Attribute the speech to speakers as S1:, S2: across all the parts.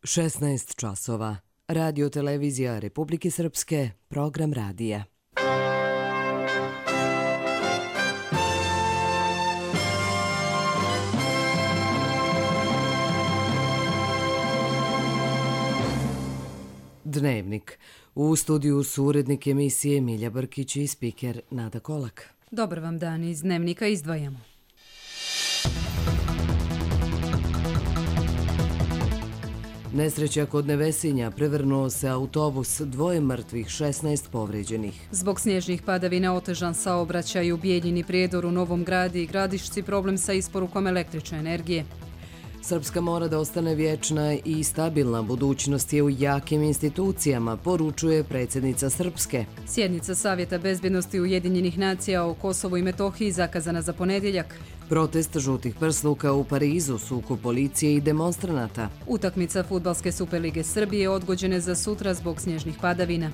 S1: 16 časova. Radio televizija Republike Srpske, program radija. Dnevnik. U studiju su urednik emisije Milja Brkić i spiker Nada Kolak.
S2: Dobar vam dan, iz Dnevnika izdvajamo.
S1: Nesreća kod Nevesinja, prevrnuo se autobus, 2 mrtvih, 16 povređenih.
S2: Zbog snježnih padavina otežan saobraćaj u Bijeljini, Prijedoru, Novom Gradu i Gradišci, problem sa isporukom električne energije.
S1: Srpska mora da ostane vječna i stabilna, budućnost je u jakim institucijama, poručuje predsjednica Srpske.
S2: Sjednica Savjeta bezbjednosti Ujedinjenih nacija o Kosovu i Metohiji zakazana za ponedjeljak.
S1: Protest žutih prsluka u Parizu, sukob policije i demonstranata.
S2: Utakmica Fudbalske Superlige Srbije odgođene za sutra zbog snježnih padavina.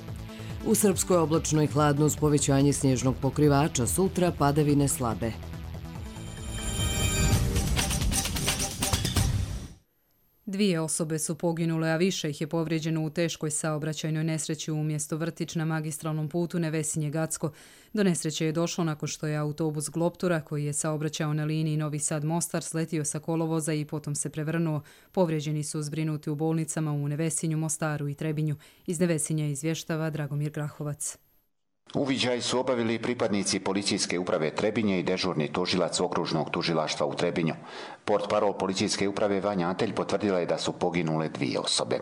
S1: U Srpskoj oblačno i hladno uz povećanje snježnog pokrivača, sutra padavine slabe.
S2: Dvije osobe su poginule, a više ih je povrijeđeno u teškoj saobraćajnoj nesreći u mjesto Vrtić na magistralnom putu Nevesinje-Gacko. Do nesreće je došlo nakon što je autobus Gloptura, koji je saobraćao na liniji Novi Sad-Mostar, sletio sa kolovoza i potom se prevrnuo. Povrijeđeni su zbrinuti u bolnicama u Nevesinju, Mostaru i Trebinju. Iz Nevesinja izvještava Dragomir Grahovac.
S3: Uviđaj su obavili pripadnici policijske uprave Trebinje i dežurni tužilac okružnog tužilaštva u Trebinju. Portparol policijske uprave Vanja Antelj potvrdila je da su poginule 2 osobe.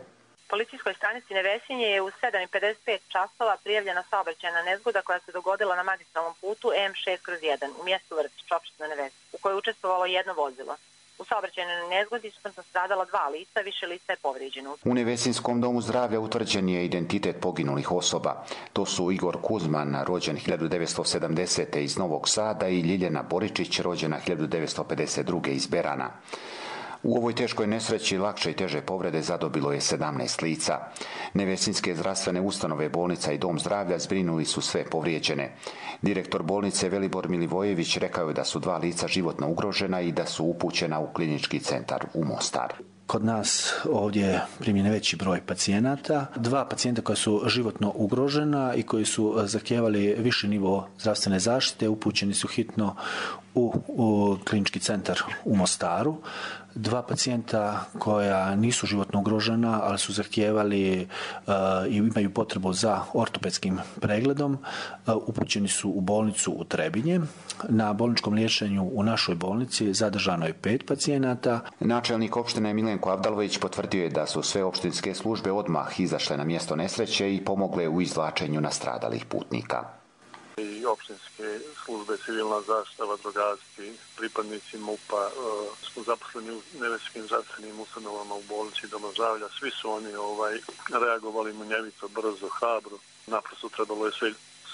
S4: Policijskoj stanici Nevesinje je u 7:55 časova prijavljena saobraćajna nezgoda koja se dogodila na magistralnom putu M6/1 u mjestu Vrtić, opština Nevesinje, u kojoj je učestvovalo 1 vozilo. U saobraćajnoj nezgodi smrtno stradala 2 lica, više lica je povrijeđeno.
S3: U Nevesinskom domu zdravlja utvrđen je identitet poginulih osoba. To su Igor Kuzman, rođen 1970. iz Novog Sada, i Ljiljana Boričić, rođena 1952. iz Berana. U ovoj teškoj nesreći lakše i teže povrede zadobilo je 17 lica. Nevesinske zdravstvene ustanove, bolnica i dom zdravlja zbrinuli su sve povrijeđene. Direktor bolnice Velibor Milivojević rekao je da su 2 lica životno ugrožena i da su upućena u klinički centar u Mostar.
S5: Kod nas ovdje je primljen veći broj pacijenata. 2 pacijenta koja su životno ugrožena i koji su zahtijevali viši nivo zdravstvene zaštite upućeni su hitno u klinički centar u Mostaru. 2 pacijenta koja nisu životno ugrožena, ali su zahtijevali i imaju potrebu za ortopedskim pregledom, upućeni su u bolnicu u Trebinje. Na bolničkom liječenju u našoj bolnici zadržano je 5 pacijenata.
S3: Načelnik opštine Milenko Avdalović potvrdio je da su sve opštinske službe odmah izašle na mjesto nesreće i pomogle u izvlačenju nastradalih putnika.
S6: I opštinske službe, civilna zaštita, vatrogasci, pripadnici MUP-a smo zaposleni u nevesinskim zdravstvenim ustanovama u bolnici i doma zdravlja. Svi su oni reagovali munjevito, brzo, hrabro. Naprosto trebalo je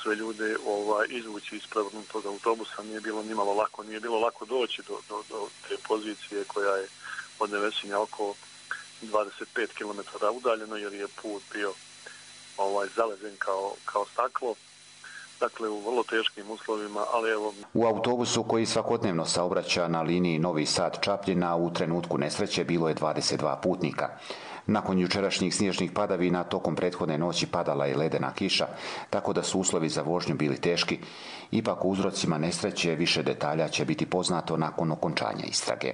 S6: sve ljude izvući iz prevrnutog autobusa. Nije bilo nimalo lako, nije bilo lako doći do te pozicije koja je od Nevesinja oko 25 km udaljeno, jer je put bio zaleđen kao staklo. Dakle, u vrlo teškim uslovima, ali evo...
S3: U autobusu koji svakodnevno saobraća na liniji Novi Sad-Čapljina u trenutku nesreće bilo je 22 putnika. Nakon jučerašnjih snježnih padavina tokom prethodne noći padala je ledena kiša, tako da su uslovi za vožnju bili teški. Ipak u uzrocima nesreće više detalja će biti poznato nakon okončanja istrage.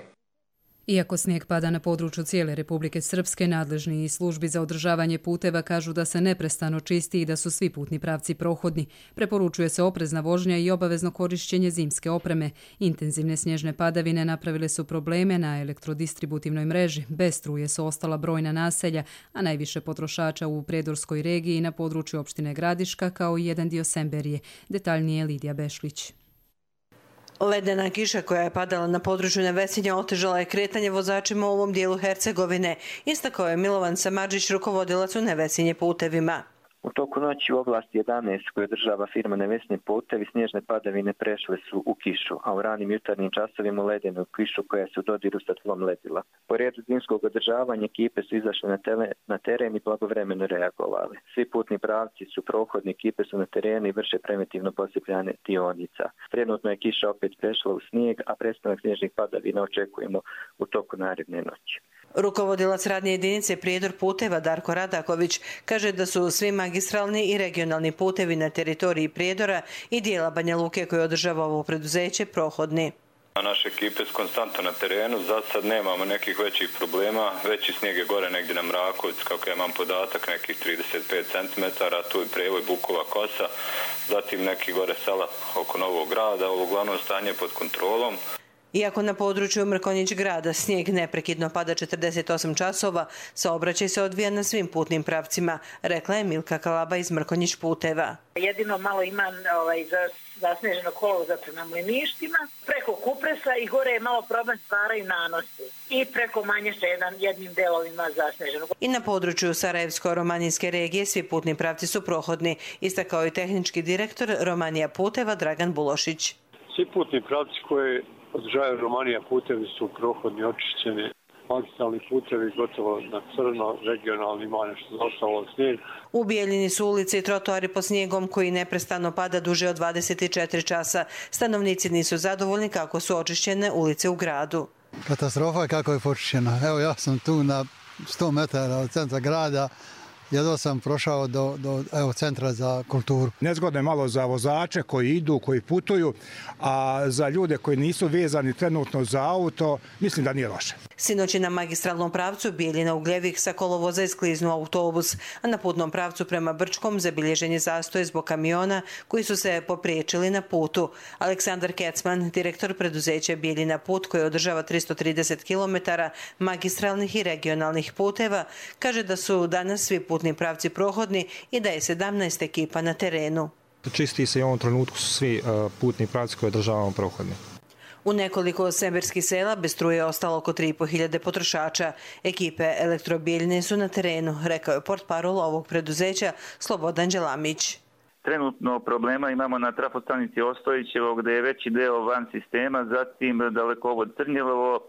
S2: Iako snijeg pada na području cijele Republike Srpske, nadležni i službi za održavanje puteva kažu da se neprestano čisti i da su svi putni pravci prohodni. Preporučuje se oprezna vožnja i obavezno korišćenje zimske opreme. Intenzivne snježne padavine napravile su probleme na elektrodistributivnoj mreži. Bez struje su ostala brojna naselja, a najviše potrošača u Prijedorskoj regiji i na području opštine Gradiška, kao i jedan dio Semberije. Detaljnije Lidija Bešlić.
S7: Ledena kiša koja je padala na području Nevesinja otežala je kretanje vozačima u ovom dijelu Hercegovine, istakao je Milovan Samardžić, rukovodilac u Nevesinje putevima.
S8: U toku noći u oblasti 11 koju održava firma Nevesinje putevi snježne padavine prešle su u kišu, a u ranim jutarnjim časovima u ledenu kišu koja se u dodiru sa tlom ledila. Po redu zimskog održavanja ekipe su izašle na teren i blagovremeno reagovali. Svi putni pravci su prohodni, ekipe su na terenu i vrše preventivno posipljane dionica. Trenutno je kiša opet prešla u snijeg, a prestanak snježnih padavina očekujemo u toku naredne noći.
S7: Rukovodilac radne jedinice Prijedor puteva Darko Radaković kaže da su svi magistralni i regionalni putevi na teritoriji Prijedora i dijela Banja Luke koje održava ovo preduzeće prohodni.
S9: Naše ekipe su konstantno na terenu, za sad nemamo nekih većih problema, veći snijeg je gore negdje na Mrakovic, kako ja imam podatak, nekih 35 cm, tu je Prevoj, Bukova kosa, zatim neki gore sela oko Novog grada, uglavnom stanje pod kontrolom.
S7: Iako na području Mrkonjić grada snijeg neprekidno pada 48 časova, saobraćaj se odvija na svim putnim pravcima, rekla je Milka Kalaba iz Mrkonjić puteva.
S10: Jedino malo ima zasneženo kolovoza prema Mliništima, preko Kupresa i gore je malo problem stvaraju nanosi. I preko Manješa jednim delovima zasneženo.
S7: I na području Sarajevsko-romanijske regije svi putni pravci su prohodni, istakao je tehnički direktor Romanija puteva Dragan Bulošić.
S6: Svi putni pravci koje održavaju Romanija putevi su prohodni, očišćeni. Magistralni putevi gotovo na crno, regionalni ima nešto zostalo snijeg.
S7: U Bijeljini su ulice i trotoari po snijegom koji neprestano pada duže od 24 časa. Stanovnici nisu zadovoljni kako su očišćene ulice u gradu.
S11: Katastrofa je kako je počišćena. Evo ja sam tu na 100 metara od centra grada. Jedva sam prošao do centra za kulturu.
S12: Nezgodno je malo za vozače koji idu, koji putuju, a za ljude koji nisu vezani trenutno za auto, mislim da nije loše.
S7: Sinoć je na magistralnom pravcu Bijeljina Ugljevik sa kolovoza iskliznuo autobus, a na putnom pravcu prema Brčkom zabilježen je zastoj zbog kamiona koji su se popriječili na putu. Aleksandar Kecman, direktor preduzeća Bijeljina put koji održava 330 km magistralnih i regionalnih puteva, kaže da su danas svi putni pravci prohodni i da je 17 ekipa na terenu.
S13: Čisti se i u ovom trenutku su svi putni pravci koje održavamo prohodni.
S7: U nekoliko severskih sela bez struje je ostalo oko 3.500 potrošača. Ekipe Elektrobijeljine su na terenu, rekao je portparol ovog preduzeća Slobodan Đelamić.
S8: Trenutno problema imamo na trafostanici Ostojićevo gdje je veći deo van sistema, zatim dalekovod Crnjelovo,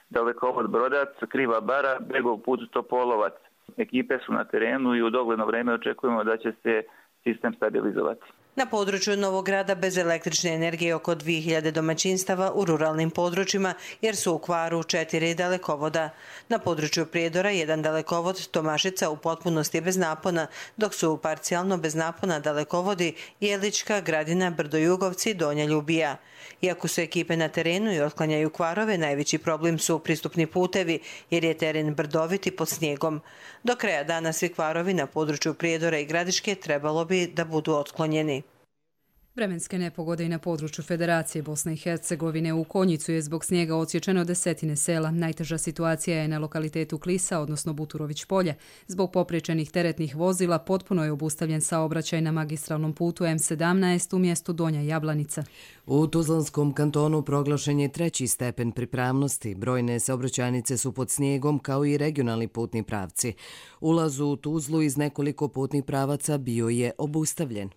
S8: dalekovod Brodac, Kriva bara, Begov put Topolovac. Ekipe su na terenu i u dogledno vrijeme očekujemo da će se sistem stabilizovati.
S7: Na području Novog grada bez električne energije oko 2000 domaćinstava u ruralnim područjima jer su u kvaru 4 dalekovoda. Na području Prijedora jedan dalekovod Tomašica u potpunosti je bez napona, dok su parcijalno bez napona dalekovodi Jelička, Gradina, Brdojugovci i Donja Ljubija. Iako su ekipe na terenu i otklanjaju kvarove, najveći problem su pristupni putevi jer je teren brdovit i pod snijegom. Do kraja dana svi kvarovi na području Prijedora i Gradiške trebalo bi da budu otklonjeni.
S2: Vremenske nepogode i na području Federacije Bosne i Hercegovine. U Konjicu je zbog snijega odsječeno desetine sela. Najteža situacija je na lokalitetu Klisa, odnosno Buturović polje. Zbog popriječenih teretnih vozila potpuno je obustavljen saobraćaj na magistralnom putu M17 u mjestu Donja Jablanica.
S1: U Tuzlanskom kantonu proglašen je 3. stepen pripravnosti. Brojne saobraćajnice su pod snijegom kao i regionalni putni pravci. Ulaz u Tuzlu iz nekoliko putnih pravaca bio je obustavljen.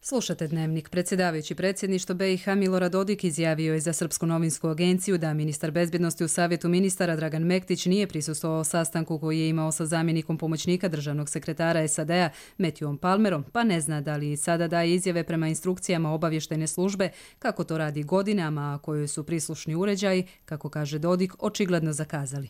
S2: Slušate Dnevnik. Predsjedavajući predsjedništvo BiH Milorad Dodik izjavio je za Srpsku novinsku agenciju da ministar bezbjednosti u Savjetu ministara Dragan Mektić nije prisustvovao sastanku koji je imao sa zamjenikom pomoćnika državnog sekretara SAD-a Matthewom Palmerom, pa ne zna da li i sada daje izjave prema instrukcijama obavještajne službe kako to radi godinama, a kojoj su prislušni uređaji, kako kaže Dodik, očigledno zakazali.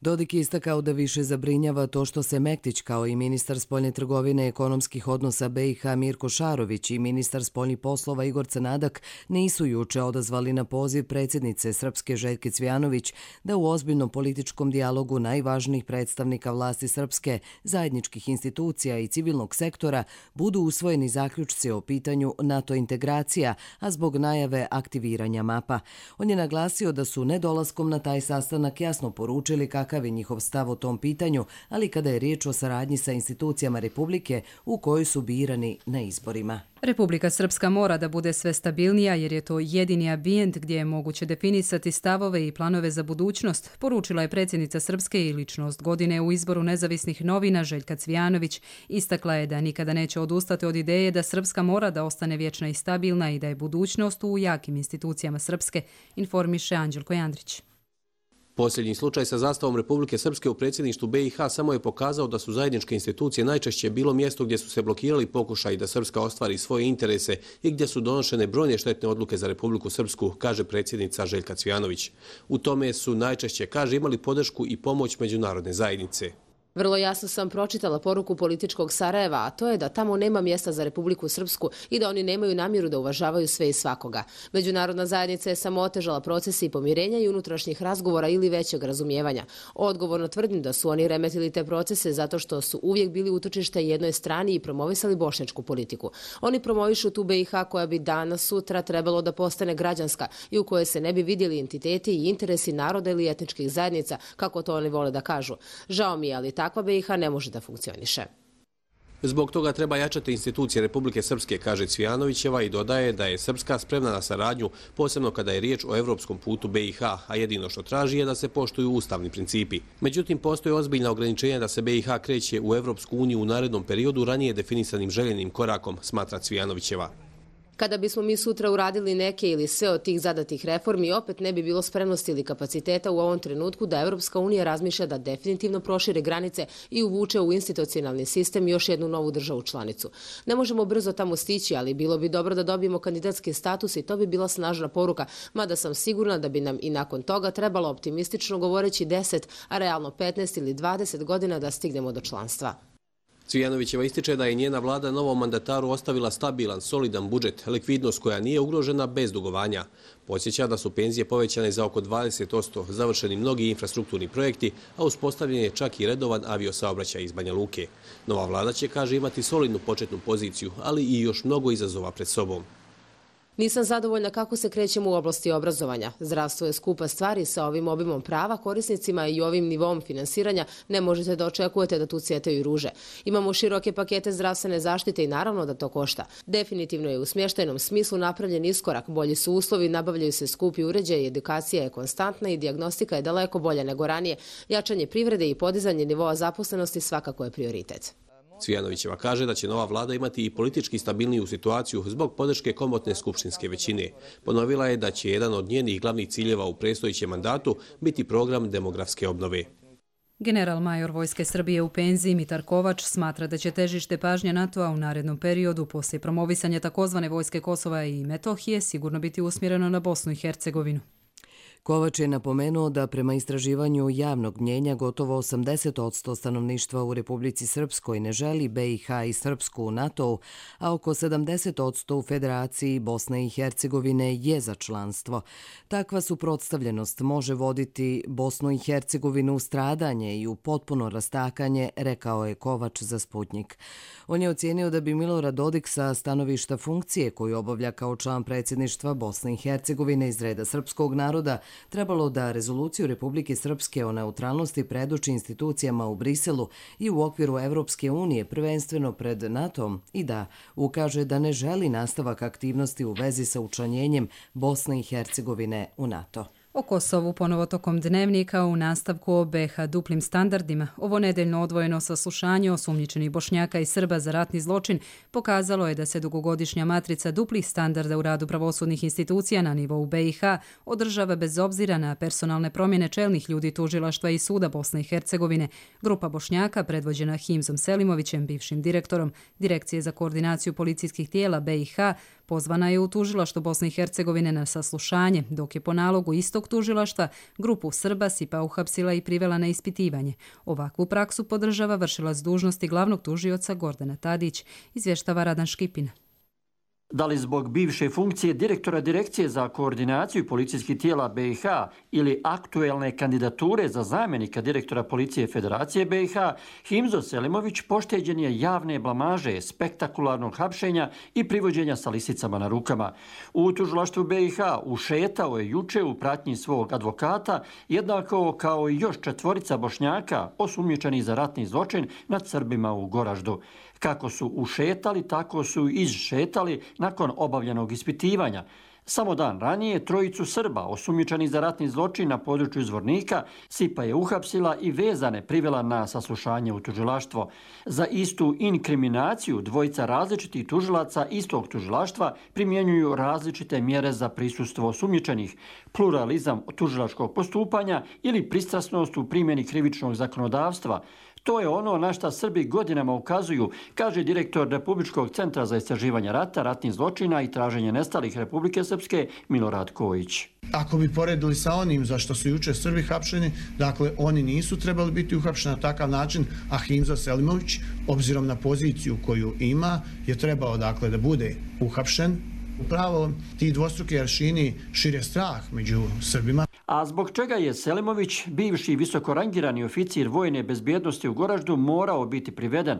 S1: Dodik je istakao da više zabrinjava to što se Mektić kao i ministar spoljne trgovine i ekonomskih odnosa BiH Mirko Šarović i ministar spoljnih poslova Igor Crnadak nisu juče odazvali na poziv predsjednice Srpske Željke Cvijanović da u ozbiljnom političkom dijalogu najvažnijih predstavnika vlasti Srpske, zajedničkih institucija i civilnog sektora budu usvojeni zaključci o pitanju NATO integracija, a zbog najave aktiviranja mapa. On je naglasio da su nedolaskom na taj sastanak jasno poručili kakav je njihov stav o tom pitanju, ali kada je riječ o saradnji sa institucijama Republike u kojoj su birani na izborima.
S2: Republika Srpska mora da bude sve stabilnija jer je to jedini ambijent gdje je moguće definisati stavove i planove za budućnost, poručila je predsjednica Srpske i ličnost godine u izboru nezavisnih novina Željka Cvijanović. Istakla je da nikada neće odustati od ideje da Srpska mora da ostane vječna i stabilna i da je budućnost u jakim institucijama Srpske, informiše Anđelko Jandrić.
S14: Posljednji slučaj sa zastavom Republike Srpske u predsjedništvu BiH samo je pokazao da su zajedničke institucije najčešće bilo mjesto gdje su se blokirali pokušaji da Srpska ostvari svoje interese i gdje su donošene brojne štetne odluke za Republiku Srpsku, kaže predsjednica Željka Cvijanović. U tome su najčešće, kaže, imali podršku i pomoć međunarodne zajednice.
S15: Vrlo jasno sam pročitala poruku političkog Sarajeva, a to je da tamo nema mjesta za Republiku Srpsku i da oni nemaju namjeru da uvažavaju sve i svakoga. Međunarodna zajednica je samo otežala procese i pomirenja i unutrašnjih razgovora ili većeg razumijevanja. Odgovorno tvrdim da su oni remetili te procese zato što su uvijek bili utočište jednoj strani i promovisali bošnjačku politiku. Oni promovišu tu BiH koja bi danas sutra trebalo da postane građanska i u kojoj se ne bi vidjeli entiteti i interesi naroda ili etničkih zajednica, kako to oni vole da kažu. Žao mi je, ali takva BiH ne može da funkcioniše.
S14: Zbog toga treba jačati institucije Republike Srpske, kaže Cvijanovićeva i dodaje da je Srpska spremna na saradnju, posebno kada je riječ o evropskom putu BiH, a jedino što traži je da se poštuju ustavni principi. Međutim, postoje ozbiljna ograničenja da se BiH kreće u Evropsku uniju u narednom periodu ranije definisanim željenim korakom, smatra Cvijanovićeva.
S15: Kada bismo mi sutra uradili neke ili sve od tih zadatih reformi, opet ne bi bilo spremnosti ili kapaciteta u ovom trenutku da Evropska unija razmišlja da definitivno prošire granice i uvuče u institucionalni sistem još jednu novu državu članicu. Ne možemo brzo tamo stići, ali bilo bi dobro da dobijemo kandidatski status i to bi bila snažna poruka, mada sam sigurna da bi nam i nakon toga trebalo optimistično govoreći 10, a realno 15 ili 20 godina da stignemo do članstva.
S14: Cvijanovićeva ističe da je njena vlada novom mandataru ostavila stabilan, solidan budžet, likvidnost koja nije ugrožena bez dugovanja. Podsjeća da su penzije povećane za oko 20%, završeni mnogi infrastrukturni projekti, a uspostavljen je čak i redovan aviosaobraćaj iz Banja Luke. Nova vlada će, kaže, imati solidnu početnu poziciju, ali i još mnogo izazova pred sobom.
S15: Nisam zadovoljna kako se krećemo u oblasti obrazovanja. Zdravstvo je skupa stvari sa ovim obimom prava korisnicima i ovim nivom finansiranja ne možete da očekujete da tu cvjetaju ruže. Imamo široke pakete zdravstvene zaštite i naravno da to košta. Definitivno je u smještajnom smislu napravljen iskorak, bolji su uslovi, nabavljaju se skupi uređaji, edukacija je konstantna i dijagnostika je daleko bolja nego ranije. Jačanje privrede i podizanje nivoa zaposlenosti svakako je prioritet.
S14: Cvijanovićeva kaže da će nova vlada imati i politički stabilniju situaciju zbog podrške komotne skupštinske većine. Ponovila je da će jedan od njenih glavnih ciljeva u predstojećem mandatu biti program demografske obnove.
S2: General major Vojske Srbije u penziji Mitar Kovač smatra da će težište pažnje NATO-a u narednom periodu poslije promovisanja takozvane vojske Kosova i Metohije sigurno biti usmjereno na Bosnu i Hercegovinu.
S1: Kovač je napomenuo da prema istraživanju javnog mnjenja gotovo 80% stanovništva u Republici Srpskoj ne želi BiH i Srpsku u NATO-u, a oko 70% u Federaciji Bosne i Hercegovine je za članstvo. Takva suprotstavljenost može voditi Bosnu i Hercegovinu u stradanje i u potpuno rastakanje, rekao je Kovač za Sputnjik. On je ocijenio da bi Milorad Dodik sa stanovišta funkcije koju obavlja kao član predsjedništva Bosne i Hercegovine iz reda srpskog naroda trebalo da rezoluciju Republike Srpske o neutralnosti predoči institucijama u Briselu i u okviru Evropske unije, prvenstveno pred NATO-om, i da ukaže da ne želi nastavak aktivnosti u vezi sa učlanjenjem Bosne i Hercegovine u NATO.
S2: O Kosovu ponovo tokom dnevnika u nastavku o BiH duplim standardima. Ovo nedeljno odvojeno saslušanje osumnjičenih Bošnjaka i Srba za ratni zločin pokazalo je da se dugogodišnja matrica duplih standarda u radu pravosudnih institucija na nivou BiH održava bez obzira na personalne promjene čelnih ljudi tužilaštva i suda Bosne i Hercegovine. Grupa Bošnjaka, predvođena Himzom Selimovićem, bivšim direktorom Direkcije za koordinaciju policijskih tijela BiH, pozvana je u tužilaštvo Bosne i Hercegovine na saslušanje, dok je po nalogu istog tužilaštva grupu Srba Sipa uhapsila i privela na ispitivanje. Ovakvu praksu podržava vršilac dužnosti glavnog tužioca Gordana Tadić, izvještava Radan Škipin.
S16: Da li zbog bivše funkcije direktora Direkcije za koordinaciju policijskih tijela BiH ili aktuelne kandidature za zamjenika direktora Policije Federacije BiH, Himzo Selimović pošteđen je javne blamaže, spektakularnog hapšenja i privođenja sa lisicama na rukama. U tužilaštvu BiH ušetao je juče u pratnji svog advokata, jednako kao i još 4 Bošnjaka osumnjičeni za ratni zločin nad Srbima u Goraždu. Kako su ušetali, tako su izšetali nakon obavljenog ispitivanja. Samo dan ranije trojicu Srba osumnjičeni za ratni zločin na području Zvornika SIPA je uhapsila i vezane privela na saslušanje u tužilaštvo. Za istu inkriminaciju dvojica različitih tužilaca istog tužilaštva primjenjuju različite mjere za prisustvo osumnjičenih, pluralizam tužilačkog postupanja ili pristrasnost u primjeni krivičnog zakonodavstva. To je ono na šta Srbi godinama ukazuju, kaže direktor Republičkog centra za istraživanje rata, ratnih zločina i traženje nestalih Republike Srpske Milorad Kojić.
S17: Ako bi poredili sa onim za što su juče Srbi hapšeni, dakle oni nisu trebali biti uhapšeni na takav način, a Himzo Selimović, obzirom na poziciju koju ima, je trebao dakle da bude uhapšen. Upravo ti dvostruki aršini šire strah među Srbima.
S16: A zbog čega je Selimović, bivši visokorangirani oficir vojne bezbjednosti u Goraždu, morao biti priveden?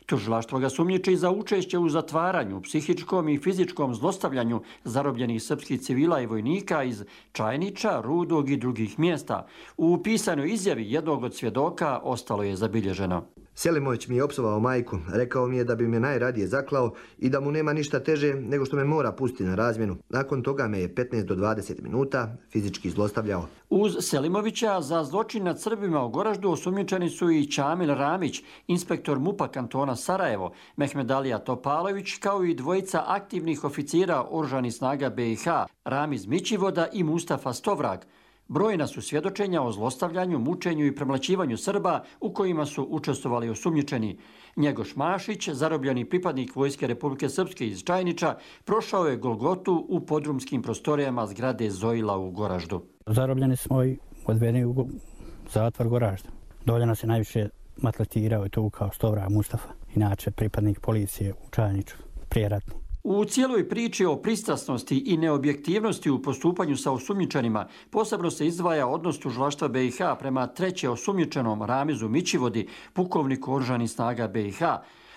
S16: Tužilaštvo ga sumnjiči za učešće u zatvaranju, psihičkom i fizičkom zlostavljanju zarobljenih srpskih civila i vojnika iz Čajniča, Rudog i drugih mjesta. U pisanoj izjavi jednog od svjedoka ostalo je zabilježeno.
S18: Selimović mi je opsovao majku, rekao mi je da bi me najradije zaklao i da mu nema ništa teže nego što me mora pustiti na razmjenu. Nakon toga me je 15 do 20 minuta fizički zlostavljao.
S16: Uz Selimovića za zločin nad Srbima u Goraždu osumnjičeni su i Čamil Ramić, inspektor MUP-a kantona Sarajevo, Mehmedalija Topalović, kao i dvojica aktivnih oficira oružanih snaga BiH, Ramiz Mićivoda i Mustafa Stovrag. Brojna su svjedočenja o zlostavljanju, mučenju i premlaćivanju Srba u kojima su učestvovali osumnjičeni. Njegoš Mašić, zarobljeni pripadnik Vojske Republike Srpske iz Čajniča, prošao je Golgotu u podrumskim prostorijama zgrade Zojila u Goraždu.
S19: Zarobljeni smo i odvedeni u zatvor Goražda. Dolje nas je najviše maltretirao i tukao Stovrag Mustafa, inače pripadnik policije u Čajniču, prijeratni.
S16: U cijeloj priči o pristrasnosti i neobjektivnosti u postupanju sa osumnjičenima posebno se izdvaja odnos tužilaštva BiH prema treće osumnjičenom Ramizu Mićivodi, pukovniku oružanih snaga BiH.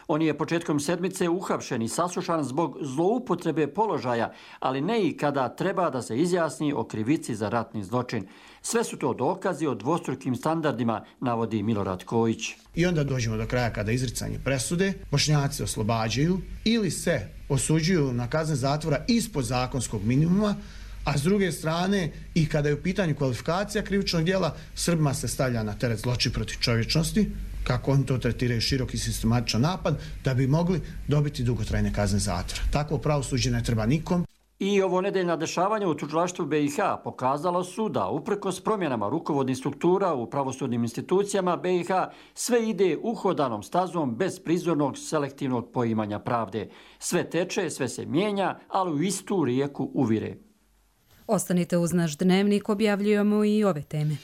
S16: On je početkom sedmice uhapšen i saslušan zbog zloupotrebe položaja, ali ne i kada treba da se izjasni o krivici za ratni zločin. Sve su to dokazi o dvostrukim standardima, navodi Milorad Kojić.
S17: I onda dođemo do kraja kada izricanje presude, Bošnjaci oslobađaju ili se osuđuju na kazne zatvora ispod zakonskog minimuma, a s druge strane i kada je u pitanju kvalifikacija krivičnog djela, Srbima se stavlja na teret zločin protiv čovječnosti, kako oni to tretiraju, široki sistematičan napad, da bi mogli dobiti dugotrajne kazne zatvora. Takvo pravosuđe ne treba nikom.
S16: I ovo nedeljna dešavanja u tužilaštvu BiH pokazalo su da uprkos promjenama rukovodnih struktura u pravosudnim institucijama BiH sve ide uhodanom stazom bez prizornog selektivnog poimanja pravde. Sve teče, sve se mijenja, ali u istu rijeku uvire.
S2: Ostanite uz naš dnevnik, objavljujemo i ove teme.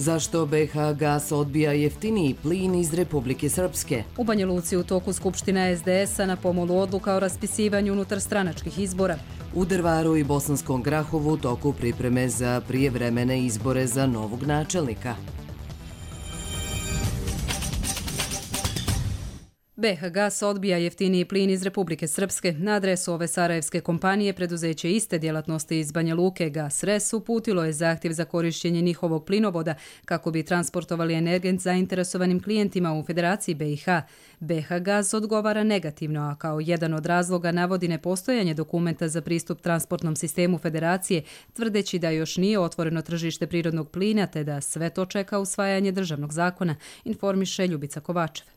S1: Zašto BiH gas odbija jeftiniji plin iz Republike Srpske?
S2: U Banja Luci u toku Skupština SDS-a na pomolu odluka o raspisivanju unutarstranačkih izbora.
S1: U Drvaru i Bosanskom Grahovu u toku pripreme za prijevremene izbore za novog načelnika.
S2: BiH Gas odbija jeftiniji plin iz Republike Srpske. Na adresu ove sarajevske kompanije preduzeće iste djelatnosti iz Banja Luke Gas Res uputilo je zahtjev za korištenje njihovog plinovoda kako bi transportovali energent zainteresovanim klijentima u Federaciji BiH. BiH Gas odgovara negativno, a kao jedan od razloga navodi nepostojanje dokumenta za pristup transportnom sistemu Federacije, tvrdeći da još nije otvoreno tržište prirodnog plina te da sve to čeka usvajanje državnog zakona, informiše Ljubica Kovačev.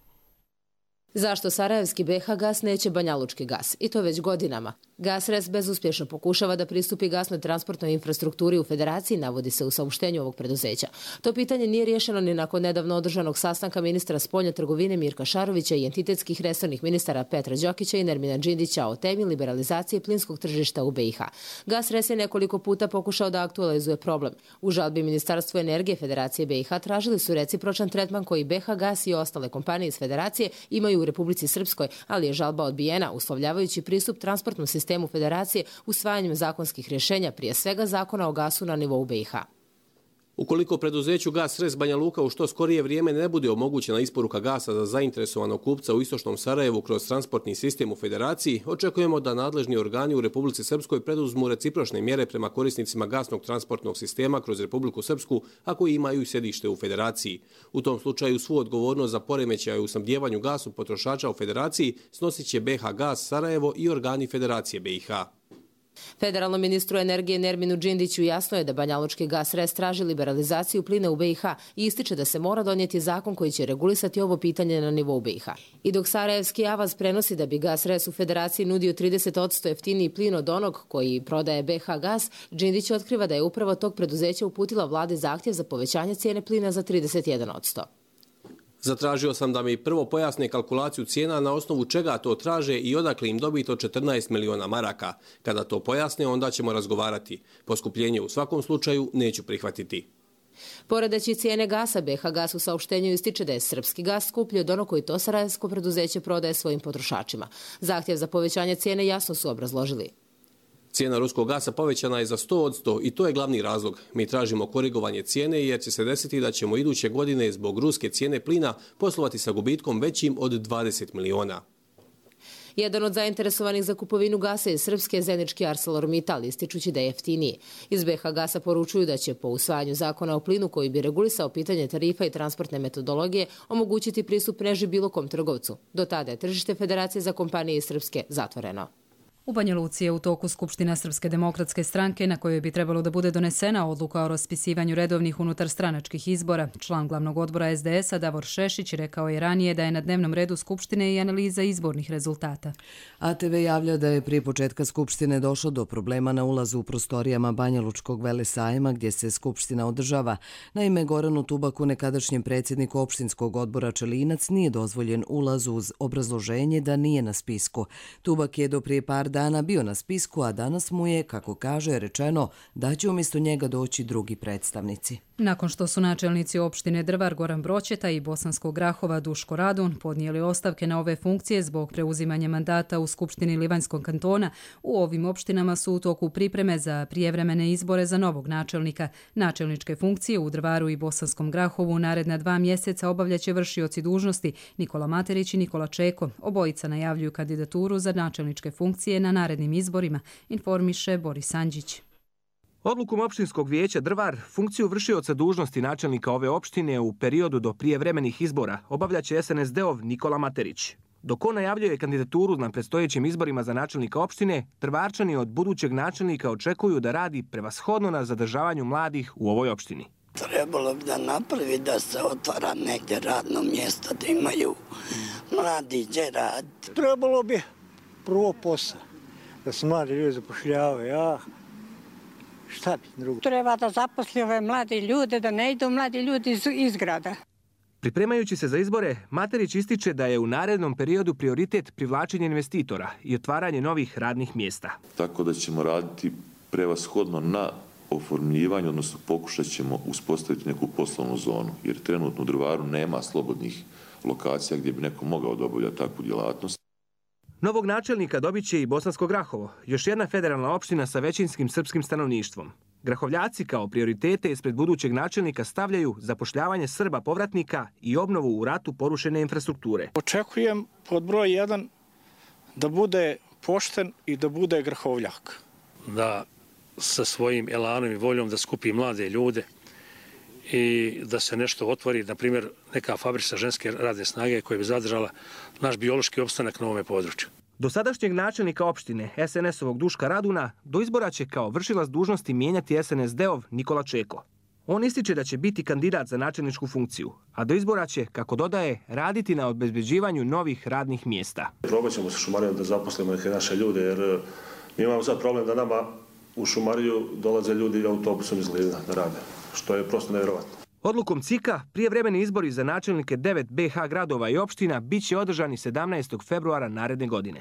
S15: Zašto sarajevski BiH Gas neće banjalučki gas? I to već godinama. Gas Res bezuspješno pokušava da pristupi gasnoj transportnoj infrastrukturi u Federaciji, navodi se u saopštenju ovog preduzeća. To pitanje nije riješeno ni nakon nedavno održanog sastanka ministra spoljne trgovine Mirka Šarovića i entitetskih resornih ministara Petra Đokića i Nermina Džindića o temi liberalizacije plinskog tržišta u BiH. Gas Res je nekoliko puta pokušao da aktualizuje problem. U žalbi Ministarstvo energije Federacije BiH tražili su recipročan tretman koji BiH Gas i ostale kompanije iz Federacije imaju u Republici Srpskoj, ali je žalba odbijena, uslovljavajući pristup transportnom sistemu Federacije usvajanjem zakonskih rješenja, prije svega zakona o gasu na nivou BiH.
S14: Ukoliko preduzeću Gas Res Banja Luka u što skorije vrijeme ne bude omogućena isporuka gasa za zainteresovanog kupca u istočnom Sarajevu kroz transportni sistem u Federaciji, očekujemo da nadležni organi u Republici Srpskoj preduzmu recipročne mjere prema korisnicima gasnog transportnog sistema kroz Republiku Srpsku, a koji imaju i sjedište u Federaciji. U tom slučaju svu odgovornost za poremećaj u snabdijevanju gasom potrošača u Federaciji snosit će BH Gas Sarajevo i organi Federacije BiH.
S15: Federalnom ministru energije Nerminu Džindiću jasno je da Banjalučki Gas Res traži liberalizaciju plina u BiH i ističe da se mora donijeti zakon koji će regulisati ovo pitanje na nivou BiH. I dok Sarajevski Avaz prenosi da bi Gas Res u Federaciji nudio 30% jeftiniji plin od onog koji prodaje BiH Gas, Džindić otkriva da je upravo tog preduzeća uputila vladi zahtjev za povećanje cijene plina za 31%.
S14: Zatražio sam da mi prvo pojasne kalkulaciju cijena na osnovu čega to traže i odakle im dobiti od 14 miliona maraka. Kada to pojasne, onda ćemo razgovarati. Poskupljenje u svakom slučaju neću prihvatiti.
S15: Poredeći cijene gasa, BiH Gas u saopštenju ističe da je srpski gas skuplji od onog koji to sarajevsko preduzeće prodaje svojim potrošačima. Zahtjev za povećanje cijene jasno su obrazložili.
S14: Cijena ruskog gasa povećana je za 100% i to je glavni razlog. Mi tražimo korigovanje cijene jer će se desiti da ćemo iduće godine zbog ruske cijene plina poslovati sa gubitkom većim od 20 miliona.
S15: Jedan od zainteresovanih za kupovinu gasa je srpski zenički ArcelorMittal, ističući da je jeftiniji. Iz BiH Gasa poručuju da će po usvajanju zakona o plinu koji bi regulisao pitanje tarifa i transportne metodologije omogućiti pristup mreži bilo kom trgovcu. Do tada je tržište Federacije za kompanije iz Srpske zatvoreno.
S2: U Banja Luci je u toku Skupština Srpske demokratske stranke na kojoj bi trebalo da bude donesena odluka o raspisivanju redovnih unutarstranačkih izbora. Član glavnog odbora SDS-a Davor Šešić rekao je ranije da je na dnevnom redu Skupštine i analiza izbornih rezultata.
S1: ATV javlja da je prije početka Skupštine došlo do problema na ulazu u prostorijama Banja Lučkog velesajma gdje se Skupština održava. Naime, Goranu Tubaku, nekadašnjem predsjedniku opštinskog odbora Čelinac, nije dozvoljen ulaz uz obrazloženje da nije na spisku. Tubak je do prije par dana bio na spisku, a danas mu je, kako kaže, rečeno da će umjesto njega doći drugi predstavnici.
S2: Nakon što su načelnici opštine Drvar Goran Broćeta i Bosanskog Grahova Duško Radun podnijeli ostavke na ove funkcije zbog preuzimanja mandata u Skupštini Livanjskog kantona, u ovim opštinama su u toku pripreme za prijevremene izbore za novog načelnika. Načelničke funkcije u Drvaru i Bosanskom Grahovu naredna 2 mjeseca obavljaće vršioci dužnosti Nikola Materić i Nikola Čeko. Obojica najavljuju kandidaturu za načelničke funkcije na narednim izborima, informiše Boris Andžić.
S20: Odlukom opštinskog vijeća Drvar funkciju vršioca dužnosti načelnika ove opštine u periodu do prijevremenih izbora obavljaće SNSD-ov Nikola Materić. Dok on najavljuje kandidaturu na predstojećim izborima za načelnika opštine, Drvarčani od budućeg načelnika očekuju da radi prevashodno na zadržavanju mladih u ovoj opštini.
S21: Trebalo bi da napravi da se otvara negdje radno mjesto, da imaju mladi gdje raditi.
S22: Trebalo bi prvo posao, da se mladi ljudi zapošljavaju, šta bi drugo?
S23: Treba da zaposli ove mladi ljude, da ne idu mladi ljudi iz grada.
S20: Pripremajući se za izbore, Materić ističe da je u narednom periodu prioritet privlačenje investitora i otvaranje novih radnih mjesta.
S24: Tako da ćemo raditi prevashodno na oformljivanju, odnosno pokušat ćemo uspostaviti neku poslovnu zonu, jer trenutno u Drvaru nema slobodnih lokacija gdje bi neko mogao da obavlja takvu djelatnost.
S20: Novog načelnika dobit će i Bosansko Grahovo, još jedna federalna opština sa većinskim srpskim stanovništvom. Grahovljaci kao prioritete ispred budućeg načelnika stavljaju zapošljavanje Srba povratnika i obnovu u ratu porušene infrastrukture.
S22: Očekujem pod broj 1 da bude pošten i da bude grahovljak.
S25: Da sa svojim elanom i voljom da skupi mlade ljude i da se nešto otvori, na primjer neka fabrika ženske radne snage koja bi zadržala naš biološki opstanak na ovome području.
S20: Do sadašnjeg načelnika opštine SNS-ovog Duška Raduna do izbora će kao vršilac dužnosti mijenjati SNSD-ov Nikola Čeko. On ističe da će biti kandidat za načelničku funkciju, a do izbora će, kako dodaje, raditi na obezbeđivanju novih radnih mjesta.
S26: Probat ćemo sa Šumarijom da zaposlimo neke naše ljude, jer mi imamo sad problem da nama u Šumariju dolaze ljudi autobusom iz Glina da rade, što je prosto nevjerovatno.
S20: Odlukom CIK-a prijevremeni izbori za načelnike 9 BiH gradova i opština bit će održani 17. februara naredne godine.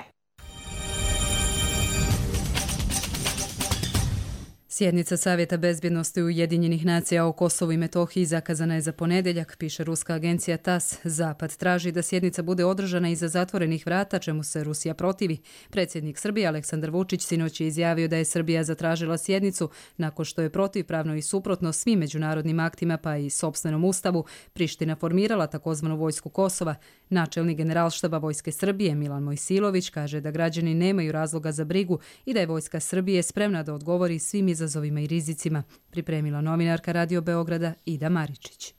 S2: Sjednica Savjeta bezbjednosti Ujedinjenih nacija o Kosovu i Metohiji zakazana je za ponedjeljak, piše ruska agencija TASS. Zapad traži da sjednica bude održana iza zatvorenih vrata, čemu se Rusija protivi. Predsjednik Srbije Aleksandar Vučić sinoć je izjavio da je Srbija zatražila sjednicu nakon što je protivpravno i suprotno svim međunarodnim aktima pa i sopstvenom ustavu Priština formirala takozvanu vojsku Kosova. Načelnik generalštaba Vojske Srbije Milan Mojsilović kaže da građani nemaju razloga za brigu i da je Vojska Srbije spremna da odgovori svim izazovima i rizicima, pripremila novinarka Radio Beograda Ida Maričić.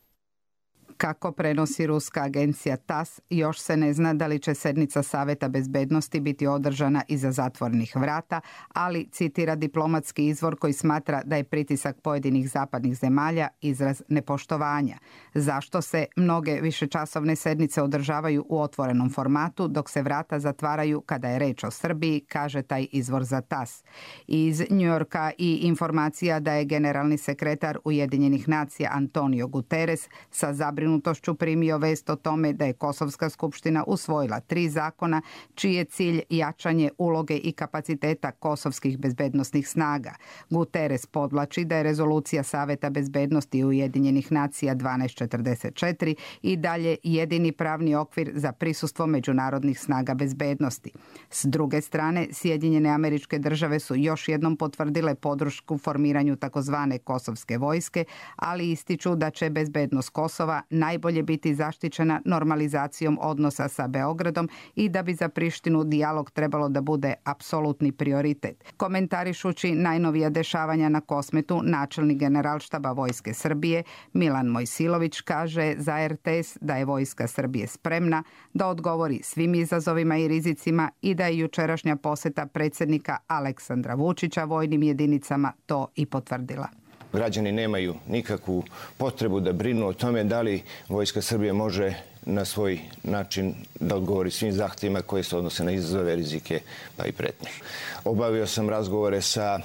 S3: Kako prenosi ruska agencija TASS, još se ne zna da li će sednica Saveta bezbednosti biti održana iza zatvorenih vrata, ali citira diplomatski izvor koji smatra da je pritisak pojedinih zapadnih zemalja izraz nepoštovanja. Zašto se mnoge višečasovne sednice održavaju u otvorenom formatu, dok se vrata zatvaraju kada je reč o Srbiji, kaže taj izvor za TASS. Iz Njujorka i informacija da je generalni sekretar Ujedinjenih nacija Antonio Guterres sa zabrinutošću primio vest o tome da je Kosovska skupština usvojila 3 zakona čiji je cilj jačanje uloge i kapaciteta kosovskih bezbednosnih snaga. Guterres podvlači da je rezolucija Saveta bezbednosti Ujedinjenih nacija 1244 i dalje jedini pravni okvir za prisustvo međunarodnih snaga bezbednosti. S druge strane, Sjedinjene Američke Države su još jednom potvrdile podršku formiranju takozvane kosovske vojske, ali ističu da će bezbednost Kosova najbolje biti zaštićena normalizacijom odnosa sa Beogradom i da bi za Prištinu dijalog trebalo da bude apsolutni prioritet. Komentarišući najnovija dešavanja na Kosmetu, načelnik generalštaba Vojske Srbije Milan Mojsilović kaže za RTS da je Vojska Srbije spremna da odgovori svim izazovima i rizicima i da je jučerašnja poseta predsjednika Aleksandra Vučića vojnim jedinicama to i potvrdila.
S4: Građani nemaju nikakvu potrebu da brinu o tome da li Vojska Srbije može na svoj način da odgovori svim zahtjevima koje se odnose na izazove, rizike pa i pretnje. Obavio sam razgovore sa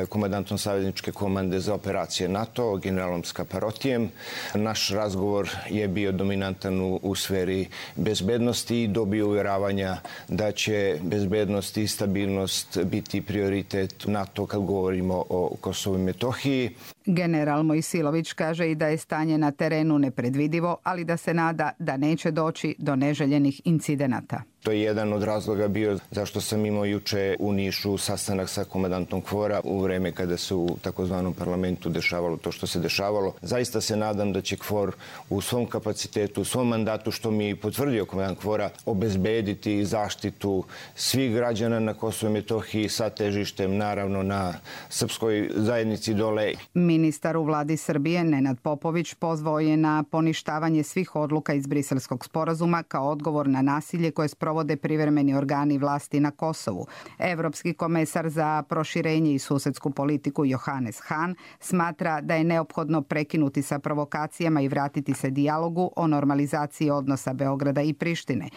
S4: komandantom savezničke komande za operacije NATO, generalom Skaparotijem. Naš razgovor je bio dominantan u sferi bezbednosti i dobio uvjeravanja da će bezbednost i stabilnost biti prioritet NATO kad govorimo o Kosovu i Metohiji.
S3: General Mojsilović kaže i da je stanje na terenu nepredvidivo, ali da se nada da neće doći do neželjenih incidenata.
S4: To je jedan od razloga bio zašto sam imao juče u Nišu sastanak sa komandantom KFOR-a u vreme kada se u takozvanom parlamentu dešavalo to što se dešavalo. Zaista se nadam da će KFOR u svom kapacitetu, u svom mandatu, što mi je potvrdio komandant KFOR-a, obezbediti zaštitu svih građana na Kosovu i Metohiji sa težištem naravno na srpskoj zajednici dole.
S3: Ministar u vladi Srbije Nenad Popović pozvao je na poništavanje svih odluka iz Briselskog sporazuma kao odgovor na nasilje koje sprovode privremeni organi vlasti na Kosovu. Evropski komesar za proširenje i susedsku politiku Johannes Hahn smatra da je neophodno prekinuti sa provokacijama i vratiti se dijalogu o normalizaciji odnosa Beograda i Prištine.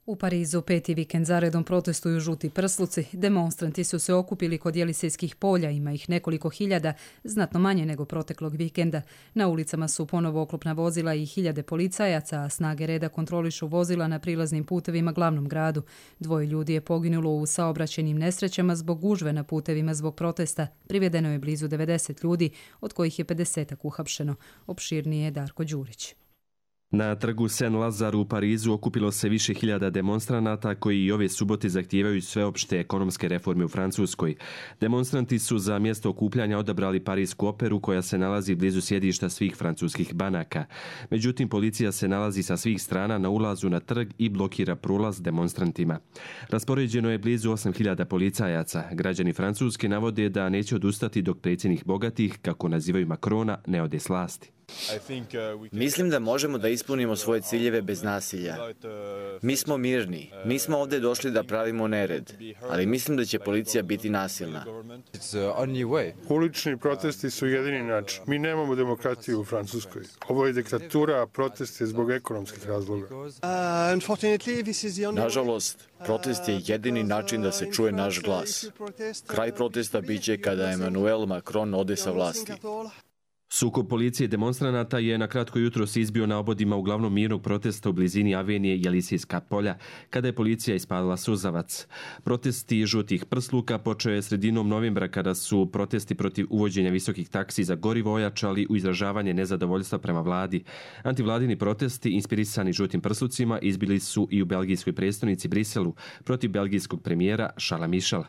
S2: U Parizu 5. vikend zaredom protestuju žuti prsluci. Demonstranti su se okupili kod Jelisejskih polja, ima ih nekoliko hiljada, znatno manje nego proteklog vikenda. Na ulicama su ponovo oklopna vozila i hiljade policajaca, a snage reda kontrolišu vozila na prilaznim putevima glavnom gradu. 2 ljudi je poginulo u saobraćajnim nesrećama zbog gužve na putevima zbog protesta. Privedeno je blizu 90 ljudi, od kojih je 50 uhapšeno. Opširnije je Darko Đurić.
S5: Na trgu Saint-Lazare u Parizu okupilo se više hiljada demonstranata koji i ove subote zahtijevaju sveopšte ekonomske reforme u Francuskoj. Demonstranti su za mjesto okupljanja odabrali Parijsku operu koja se nalazi blizu sjedišta svih francuskih banaka. Međutim, policija se nalazi sa svih strana na ulazu na trg i blokira prolaz demonstrantima. Raspoređeno je blizu 8000 policajaca. Građani Francuske navode da neće odustati dok predsjednik bogatih, kako nazivaju Macrona, ne ode s vlasti.
S6: Mislim da možemo da ispunimo svoje ciljeve bez nasilja. Mi smo mirni. Nismo ovdje došli da pravimo nered, ali mislim da će policija biti nasilna.
S9: Ulični protesti su jedini način. Mi nemamo demokratiju u Francuskoj. Ovo je diktatura, a protest je zbog ekonomskih razloga.
S6: Nažalost, protest je jedini način da se čuje naš glas. Kraj protesta biće kada Emmanuel Macron ode sa vlasti.
S5: Sukob policije i demonstranata je na kratko jutro se izbio na obodima uglavnom mirnog protesta u blizini Avenije Jelisijska polja, kada je policija ispalila suzavac. Protesti žutih prsluka počeo je sredinom novembra, kada su protesti protiv uvođenja visokih taksi za gorivo ojačali u izražavanje nezadovoljstva prema vladi. Antivladini protesti, inspirisani žutim prslucima, izbili su i u belgijskoj prestonici Briselu protiv belgijskog premijera Charlesa Michela.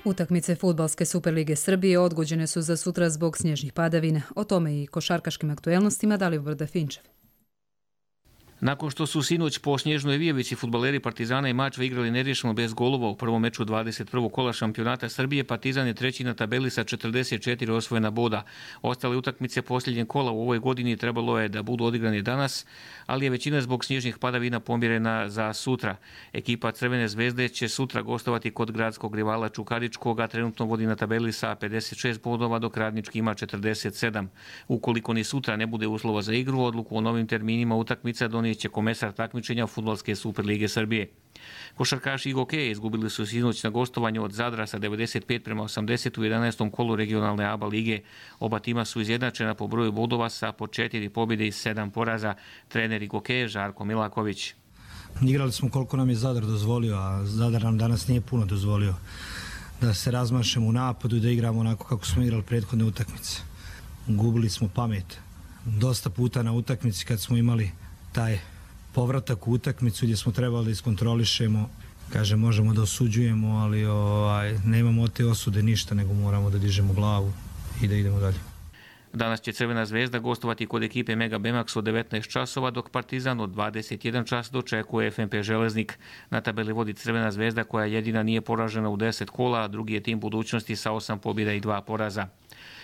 S2: Utakmice Fudbalske Superlige Srbije odgođene su za sutra zbog snježnih padavina. O tome i košarkaškim aktuelnostima Dalibor Dafinčev.
S7: Nakon što su sinoć po snježnoj vijevici fudbaleri Partizana i Mačve igrali neriješeno bez golova u prvom meču 21. kola šampionata Srbije, Partizan je treći na tabeli sa 44 osvojena boda. Ostale utakmice posljednjeg kola u ovoj godini trebalo je da budu odigrane danas, ali je većina zbog snježnih padavina pomjerena za sutra. Ekipa Crvene zvezde će sutra gostovati kod gradskog rivala Čukaričkog, a trenutno vodi na tabeli sa 56 bodova, dok Radnički ima 47. Ukoliko ni sutra ne bude uslova za igru, odluku o novim terminima utakmica donijet će komesar takmičenja Fudbalske Superlige Srbije. Košarkaši i hokeje izgubili su sinoć na gostovanju od Zadra sa 95-80 u 11. kolu regionalne ABA lige. Oba tima su izjednačena po broju bodova sa po 4 pobjede i 7 poraza. Trener i hokeje Žarko Milaković.
S8: Igrali smo koliko nam je Zadar dozvolio, a Zadar nam danas nije puno dozvolio da se razmašemo u napadu i da igramo onako kako smo igrali prethodne utakmice. Gubili smo pamet. Dosta puta na utakmici kad smo imali taj povratak u utakmicu gdje smo trebali da iskontrolišemo, kaže možemo da osuđujemo, ali nemamo od te osude ništa, nego moramo da dižemo glavu i da idemo dalje.
S7: Danas će Crvena zvezda gostovati kod ekipe Mega Bemax od 19 časova, dok Partizan od 21 čas dočekuje FNP Železnik. Na tabeli vodi Crvena zvezda koja jedina nije poražena u 10 kola, a drugi je tim budućnosti sa 8 pobjeda i 2 poraza.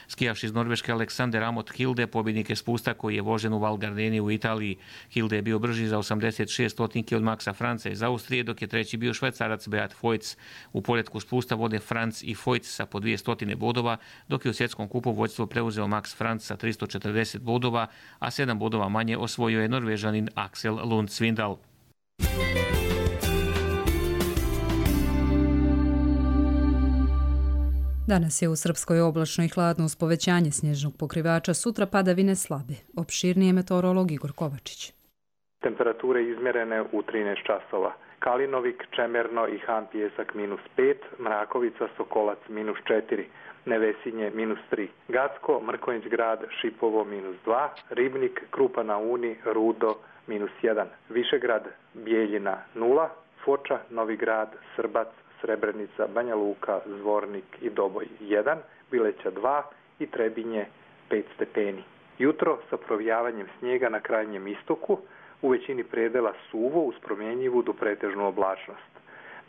S7: Skijaš iz Norveške Aleksander Amot Hilde, pobjednik je spusta koji je vožen u Val Gardeni u Italiji. Hilde je bio brži za 86 stotinki od Maxa Franca iz Austrije, dok je treći bio Švajcarac Beat Feuz. U poretku spusta vode Franc i Feuz sa po 200 bodova, dok je u svjetskom kupu vođstvo preuzeo Max Franc sa 340 bodova, a 7 bodova manje osvojio je Norvežanin Axel Lund Svindal.
S2: Danas je u Srpskoj oblačno i hladno uz povećanje snježnog pokrivača, sutra padavine slabe. Opširnije meteorolog Igor Kovačić.
S10: Temperature izmjerene u 13 časova. Kalinovik, Čemerno i Han Pjesak -5, Mrakovica, Sokolac -4, Nevesinje -3, Gacko, Mrkonjić grad, Šipovo -2, Ribnik, Krupa na Uni, Rudo -1, Višegrad, Bijeljina 0, Foča, Novi grad, Srbac, Srebrenica, Banja Luka, Zvornik i Doboj 1, Bileća 2 i Trebinje 5 stepeni. Jutro sa provijavanjem snijega na krajnjem istoku, u većini predela suvo uz promjenjivu do pretežnu oblačnost.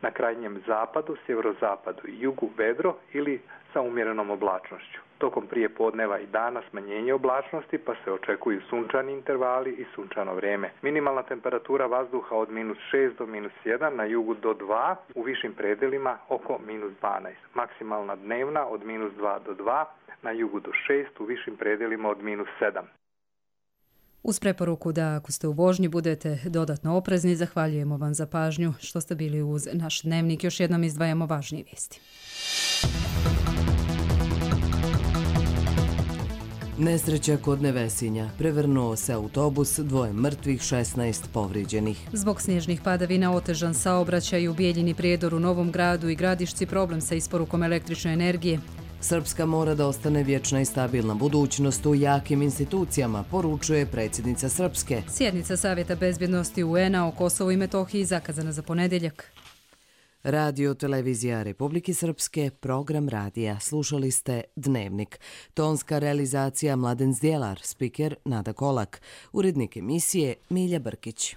S10: Na krajnjem zapadu, sjeverozapadu i jugu vedro ili sa umjerenom oblačnošću. Tokom prije podneva i dana smanjenje oblačnosti, pa se očekuju sunčani intervali i sunčano vrijeme. Minimalna temperatura vazduha od -6 do -1, na jugu do 2, u višim predelima oko -12. Maksimalna dnevna od -2 do 2, na jugu do 6, u višim predelima od -7.
S2: Uz preporuku da ako ste u vožnji budete dodatno oprezni, zahvaljujemo vam za pažnju što ste bili uz naš dnevnik. Još jednom izdvajamo važnije vijesti.
S1: Nesreća kod Nevesinja. Prevrnuo se autobus, 2 mrtvih, 16 povrijeđenih.
S2: Zbog snježnih padavina otežan saobraćaj u Bijeljini, Prijedoru, Novom Gradu i Gradišci, problem sa isporukom električne energije.
S1: Srpska mora da ostane vječna i stabilna budućnost u jakim institucijama, poručuje predsjednica Srpske.
S2: Sjednica Savjeta bezbjednosti UN-a o Kosovu i Metohiji zakazana za ponedjeljak.
S1: Radio Televizija Republike Srpske, program radija. Slušali ste Dnevnik. Tonska realizacija Mladen Zdjelar, spiker Nada Kolak. Urednik emisije Milja Brkić.